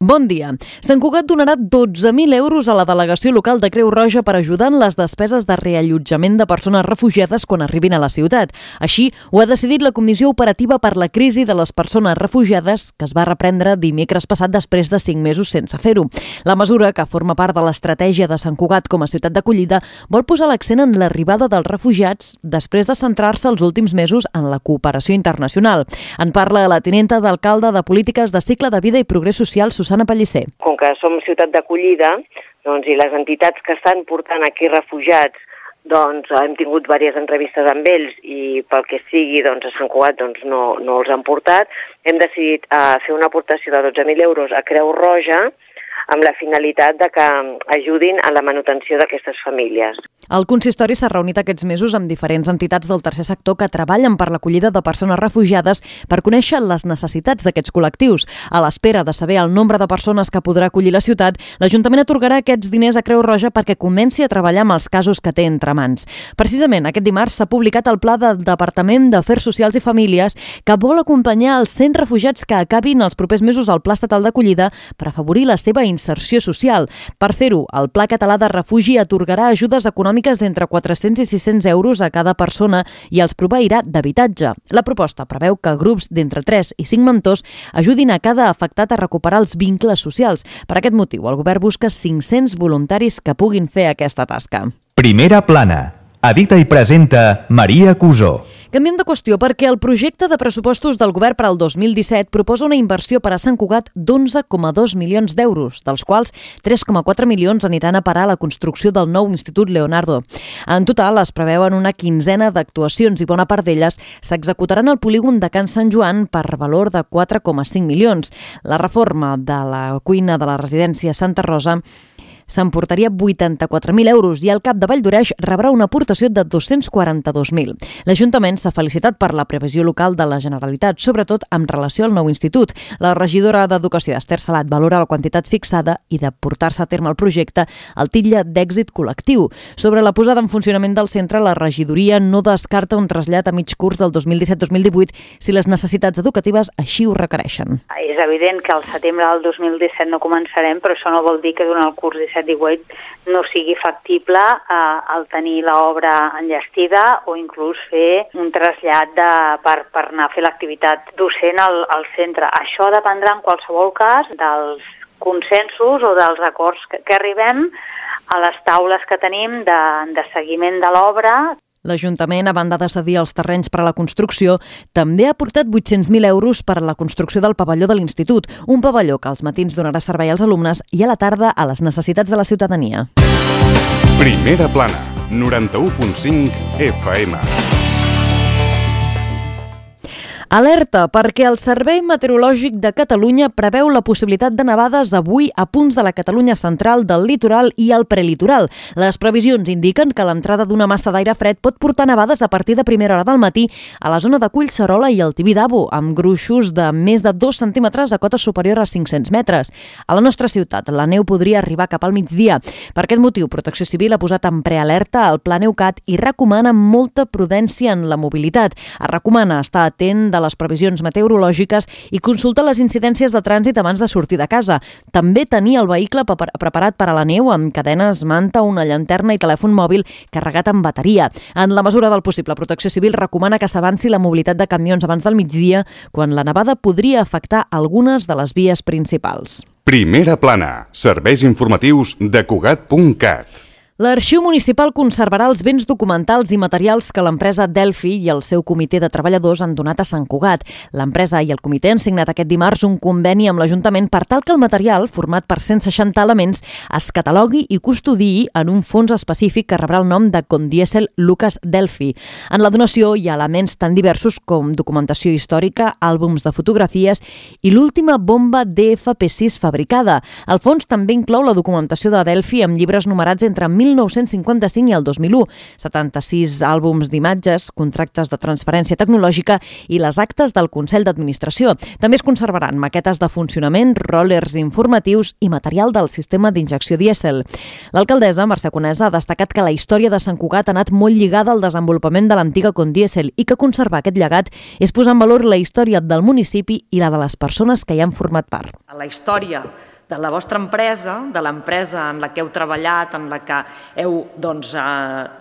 Bon dia. Sant Cugat donarà 12.000 euros a la delegació local de Creu Roja per ajudar en les despeses de reallotjament de persones refugiades quan arribin a la ciutat. Així, ho ha decidit la Comissió Operativa per la Crisi de les Persones Refugiades, que es va reprendre dimecres passat després de 5 mesos sense fer-ho. La mesura, que forma part de l'estratègia de Sant Cugat com a ciutat d'acollida, vol posar l'accent en l'arribada dels refugiats després de centrar-se els últims mesos en la cooperació internacional. En parla la tinenta d'alcalde de Polítiques de Cicle de Vida i Progrés Social, Susana Pellicer. Com que som ciutat d'acollida, i les entitats que estan portant aquí refugiats, hem tingut diverses entrevistes amb ells i pel que sigui, a Sant Cugat no els han portat. Hem decidit fer una aportació de 12.000 euros a Creu Roja amb la finalitat de que ajudin a la manutenció d'aquestes famílies. El consistori s'ha reunit aquests mesos amb diferents entitats del tercer sector que treballen per l'acollida de persones refugiades per conèixer les necessitats d'aquests col·lectius. A l'espera de saber el nombre de persones que podrà acollir la ciutat, l'Ajuntament atorgarà aquests diners a Creu Roja perquè comenci a treballar amb els casos que té entre mans. Precisament aquest dimarts s'ha publicat el Pla del Departament d'Afers Socials i Famílies que vol acompanyar els 100 refugiats que acabin els propers mesos al Pla Estatal d'Acollida per afavorir la seva inserció social. Per fer-ho, el Pla Català de Refugi atorgarà ajudes econòmiques d'entre 400 i 600 euros a cada persona i els proveirà d'habitatge. La proposta preveu que grups d'entre 3 i 5 mentors ajudin a cada afectat a recuperar els vincles socials. Per aquest motiu, el govern busca 500 voluntaris que puguin fer aquesta tasca. Primera plana. Edita i presenta Maria Cusó. Canviem de qüestió perquè el projecte de pressupostos del govern per al 2017 proposa una inversió per a Sant Cugat d'11,2 milions d'euros, dels quals 3,4 milions aniran a parar a la construcció del nou Institut Leonardo. En total es preveuen una quinzena d'actuacions i bona part d'elles s'executaran al polígon de Can Sant Joan per valor de 4,5 milions. La reforma de la cuina de la residència Santa Rosa s'emportaria 84.000 euros i el CAP de Valldoreix rebrà una aportació de 242.000. L'Ajuntament s'ha felicitat per la previsió local de la Generalitat, sobretot en relació al nou institut. La regidora d'Educació, Esther Salat, valora la quantitat fixada i de portar-se a terme el projecte el titlla d'èxit col·lectiu. Sobre la posada en funcionament del centre, la regidoria no descarta un trasllat a mig curs del 2017-2018 si les necessitats educatives així ho requereixen. És evident que al setembre del 2017 no començarem, però això no vol dir que durant el curs 17-18 no sigui factible el tenir l'obra enllestida o inclús fer un trasllat per anar a fer l'activitat docent al centre. Això dependrà en qualsevol cas dels consensos o dels acords que arribem a les taules que tenim de seguiment de l'obra. L'Ajuntament, a banda de cedir els terrenys per a la construcció, també ha aportat 800.000 euros per a la construcció del pavelló de l'Institut, un pavelló que als matins donarà servei als alumnes i a la tarda a les necessitats de la ciutadania. Primera plana, 91.5 FM. Alerta, perquè el Servei Meteorològic de Catalunya preveu la possibilitat de nevades avui a punts de la Catalunya central, del litoral i el prelitoral. Les previsions indiquen que l'entrada d'una massa d'aire fred pot portar nevades a partir de primera hora del matí a la zona de Collserola i el Tibidabo, amb gruixos de més de 2 centímetres a cota superior a 500 metres. A la nostra ciutat, la neu podria arribar cap al migdia. Per aquest motiu, Protecció Civil ha posat en prealerta el Pla Neucat i recomana molta prudència en la mobilitat. Es recomana estar atent de les previsions meteorològiques i consultar les incidències de trànsit abans de sortir de casa. També tenir el vehicle preparat per a la neu amb cadenes, manta, una llanterna i telèfon mòbil carregat amb bateria. En la mesura del possible, Protecció Civil recomana que s'avanci la mobilitat de camions abans del migdia, quan la nevada podria afectar algunes de les vies principals. Primera plana, serveis informatius de Cugat.cat. L'Arxiu Municipal conservarà els béns documentals i materials que l'empresa Delphi i el seu comitè de treballadors han donat a Sant Cugat. L'empresa i el comitè han signat aquest dimarts un conveni amb l'Ajuntament per tal que el material, format per 160 elements, es catalogui i custodiï en un fons específic que rebrà el nom de Condiesel Lucas Delphi. En la donació hi ha elements tan diversos com documentació històrica, àlbums de fotografies i l'última bomba DFP6 fabricada. El fons també inclou la documentació de Delphi amb llibres numerats entre 1955 i el 2001, 76 àlbums d'imatges, contractes de transferència tecnològica i les actes del Consell d'Administració. També es conservaran maquetes de funcionament, ròlers informatius i material del sistema d'injecció dièsel. L'alcaldessa, Mercè Conesa, ha destacat que la història de Sant Cugat ha anat molt lligada al desenvolupament de l'antiga Condiesel i que conservar aquest llegat és posar en valor la història del municipi i la de les persones que hi han format part. La història de la vostra empresa, de l'empresa en la que heu treballat, en la que heu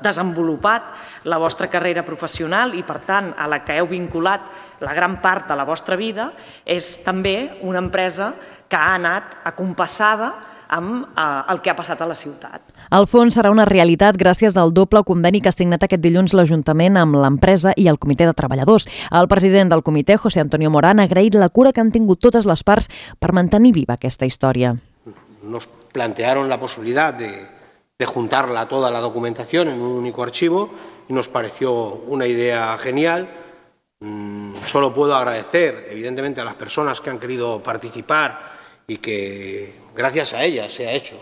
desenvolupat la vostra carrera professional i, per tant, a la que heu vinculat la gran part de la vostra vida, és també una empresa que ha anat acompassada amb el que ha passat a la ciutat. El fons serà una realitat gràcies al doble conveni que ha signat aquest dilluns l'Ajuntament amb l'empresa i el Comitè de Treballadors. El president del comitè, José Antonio Morán, ha agraït la cura que han tingut totes les parts per mantenir viva aquesta història. Nos plantearon la posibilidad de juntarla toda la documentación en un único archivo y nos pareció una idea genial. Solo puedo agradecer, evidentemente, a las personas que han querido participar y que gràcies a ella se ha hecho.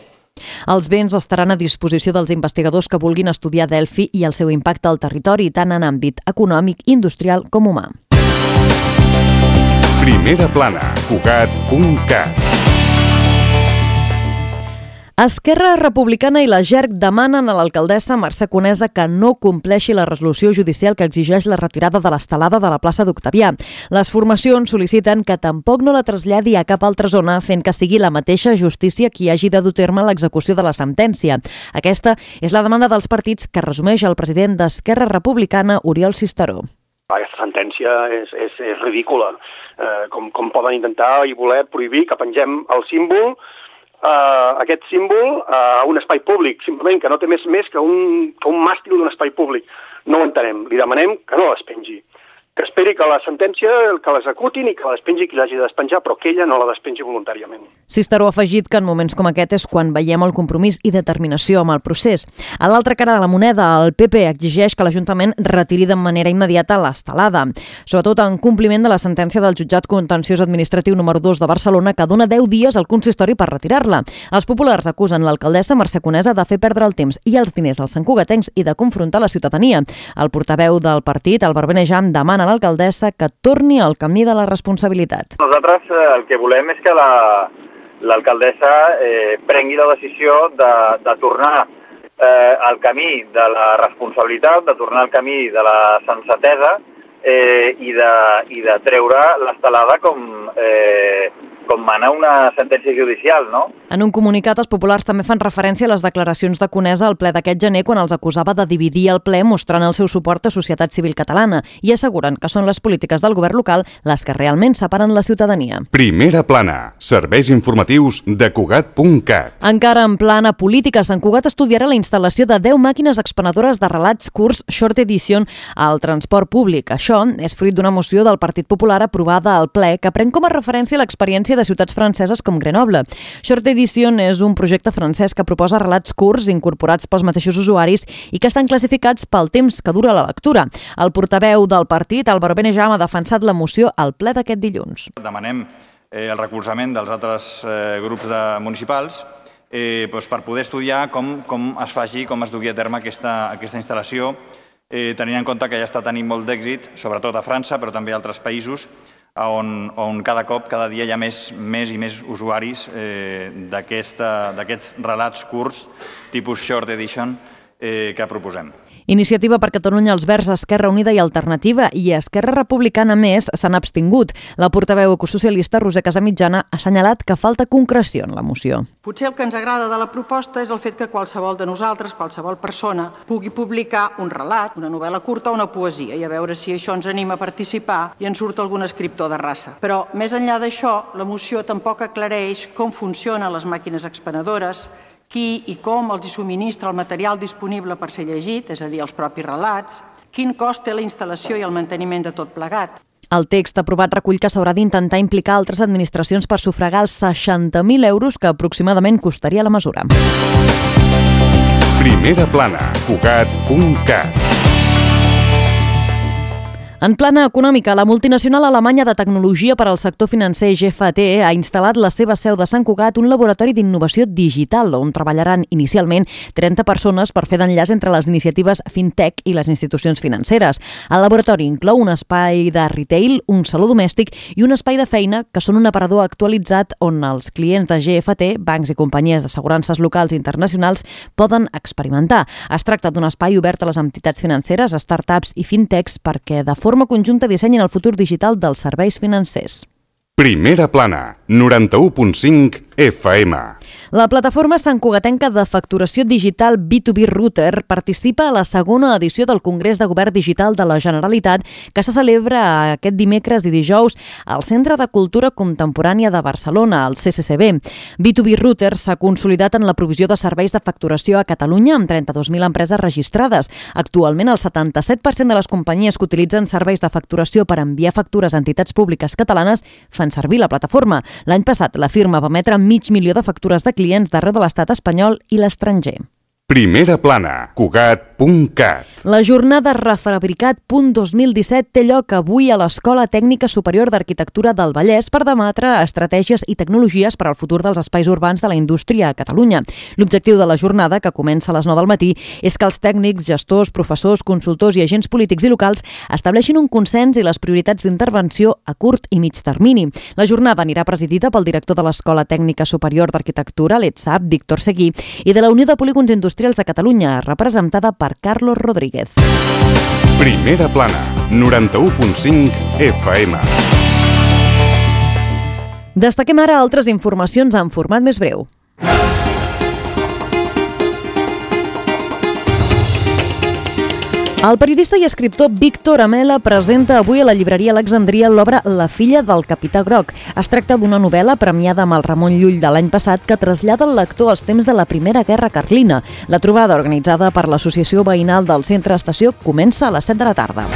Els béns estaran a disposició dels investigadors que vulguin estudiar Delphi i el seu impacte al territori, tant en àmbit econòmic, industrial com humà. Primera plana, Cugat.cat. Esquerra Republicana i la GERC demanen a l'alcaldessa Mercè Conesa que no compleixi la resolució judicial que exigeix la retirada de l'estelada de la plaça d'Octavià. Les formacions sol·liciten que tampoc no la traslladi a cap altra zona, fent que sigui la mateixa justícia qui hagi de dur a terme l'execució de la sentència. Aquesta és la demanda dels partits que resumeix el president d'Esquerra Republicana, Oriol Cisteró. Aquesta sentència és ridícula. Com poden intentar i voler prohibir que pengem el símbol, aquest símbol a un espai públic, simplement que no té més que un màstil d'un espai públic. No ho entenem. Li demanem que no les pengi. Que esperi que la sentència que l'executin i que la despengi qui l'hagi de despenjar, però que ella no la despengi voluntàriament. Cisteró ha afegit que en moments com aquest és quan veiem el compromís i determinació amb el procés. A l'altra cara de la moneda, el PP exigeix que l'Ajuntament retiri de manera immediata l'estelada, sobretot en compliment de la sentència del Jutjat Contenciós Administratiu número 2 de Barcelona, que dona 10 dies al consistori per retirar-la. Els populars acusen l'alcaldessa Mercè Conesa de fer perdre el temps i els diners als santcugatencs i de confrontar la ciutadania. El portaveu del partit, Albert Benejam, demana a l'alcaldessa que torni al camí de la responsabilitat. Nosaltres el que volem és que l'alcaldessa prengui la decisió de tornar al camí de la responsabilitat, de tornar al camí de la sensatesa i de treure l'estelada com mana una sentència judicial, no? En un comunicat, els populars també fan referència a les declaracions de Conesa al ple d'aquest gener quan els acusava de dividir el ple mostrant el seu suport a Societat Civil Catalana i asseguren que són les polítiques del govern local les que realment separen la ciutadania. Primera plana, serveis informatius de Cugat.cat. Encara en plana política, Sant Cugat estudiarà la instal·lació de 10 màquines expenedores de relats curts Short Edition al transport públic. Això és fruit d'una moció del Partit Popular aprovada al ple que pren com a referència l'experiència de ciutats franceses com Grenoble. Short Edition és un projecte francès que proposa relats curts incorporats pels mateixos usuaris i que estan classificats pel temps que dura la lectura. El portaveu del partit, Albert Benejam, ha defensat la moció al ple d'aquest dilluns. Demanem el recolzament dels altres grups municipals per poder estudiar com es faci, com es dugui a terme aquesta instal·lació, tenint en compte que ja està tenint molt d'èxit, sobretot a França, però també a altres països, on cada cop, cada dia hi ha més i més usuaris d'aquests relats curts, tipus Short Edition, que proposem. Iniciativa per Catalunya, els Verds, Esquerra Unida i Alternativa i Esquerra Republicana més s'han abstingut. La portaveu ecosocialista Roser Casamitjana ha assenyalat que falta concreció en la moció. Potser el que ens agrada de la proposta és el fet que qualsevol de nosaltres, qualsevol persona, pugui publicar un relat, una novel·la curta o una poesia i a veure si això ens anima a participar i en surt algun escriptor de raça. Però, més enllà d'això, la moció tampoc aclareix com funcionen les màquines expenedores, qui i com els subministra el material disponible per ser llegit, és a dir, els propis relats, quin cost té la instal·lació i el manteniment de tot plegat. El text aprovat recull que s'haurà d'intentar implicar altres administracions per sufragar els 60.000 euros que aproximadament costaria la mesura. Primera plana, Cugat.cat. En plana econòmica, la multinacional alemanya de tecnologia per al sector financer GFT ha instal·lat la seva seu de Sant Cugat, un laboratori d'innovació digital, on treballaran inicialment 30 persones per fer d'enllaç entre les iniciatives fintech i les institucions financeres. El laboratori inclou un espai de retail, un saló domèstic i un espai de feina que són un aparador actualitzat on els clients de GFT, bancs i companyies d'assegurances locals i internacionals, poden experimentar. Es tracta d'un espai obert a les entitats financeres, startups i fintechs perquè de forma conjunta dissenyen el futur digital dels serveis financers. Primera plana, 91.5 FM. La plataforma santcugatenca de facturació digital B2B Router participa a la segona edició del Congrés de Govern Digital de la Generalitat que se celebra aquest dimecres i dijous al Centre de Cultura Contemporània de Barcelona, el CCCB. B2B Router s'ha consolidat en la provisió de serveis de facturació a Catalunya amb 32.000 empreses registrades. Actualment, el 77% de les companyies que utilitzen serveis de facturació per enviar factures a entitats públiques catalanes fan servir la plataforma. L'any passat, la firma va emetre 500.000 de factures de clients d'arreu de l'estat espanyol i l'estranger. Primera plana, Cugat.cat. La jornada Refabricat.2017 té lloc avui a l'Escola Tècnica Superior d'Arquitectura del Vallès per debatre estratègies i tecnologies per al futur dels espais urbans de la indústria a Catalunya. L'objectiu de la jornada, que comença a les 9 del matí, és que els tècnics, gestors, professors, consultors i agents polítics i locals estableixin un consens i les prioritats d'intervenció a curt i mig termini. La jornada anirà presidida pel director de l'Escola Tècnica Superior d'Arquitectura, l'ETSAP, Víctor Seguí, i de la Unió de Polígons Industrials de Catalunya, representada per Carlos Rodríguez. Primera plana, 91.5 FM. Destaquem ara altres informacions en format més breu. El periodista i escriptor Víctor Amela presenta avui a la llibreria Alexandria l'obra La filla del capità Groc. Es tracta d'una novel·la premiada amb el Ramon Llull de l'any passat que trasllada el lector als temps de la Primera Guerra Carlina. La trobada, organitzada per l'Associació Veïnal del Centre Estació, comença a les 7 de la tarda.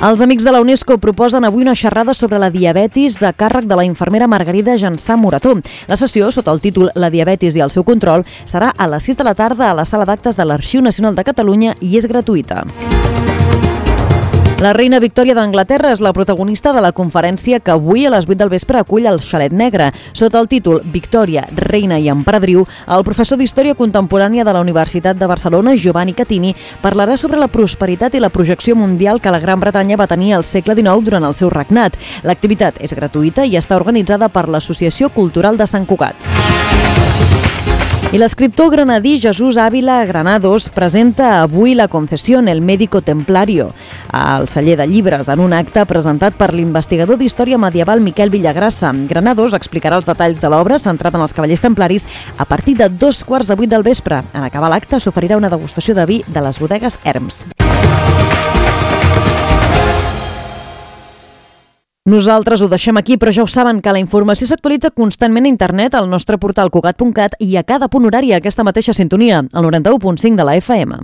Els Amics de la UNESCO proposen avui una xerrada sobre la diabetis a càrrec de la infermera Margarida Jansà Morató. La sessió, sota el títol La diabetis i el seu control, serà a les 6 de la tarda a la sala d'actes de l'Arxiu Nacional de Catalunya i és gratuïta. La reina Victòria d'Anglaterra és la protagonista de la conferència que avui a les 8 del vespre acull el Xalet Negre. Sota el títol Victòria, reina i emperadriu, el professor d'Història Contemporània de la Universitat de Barcelona, Giovanni Catini, parlarà sobre la prosperitat i la projecció mundial que la Gran Bretanya va tenir al segle XIX durant el seu regnat. L'activitat és gratuïta i està organitzada per l'Associació Cultural de Sant Cugat. I l'escriptor granadí Jesús Ávila Granados presenta avui La Concesión, el médico templario, al celler de llibres, en un acte presentat per l'investigador d'història medieval Miquel Villagrassa. Granados explicarà els detalls de l'obra centrat en els cavallers templaris a partir de 7:15 del vespre. En acabar l'acte s'oferirà una degustació de vi de les bodegues Herms. Nosaltres ho deixem aquí, però ja ho saben que la informació s'actualitza constantment a internet al nostre portal Cugat.cat i a cada punt horari a aquesta mateixa sintonia, al 91.5 de la FM.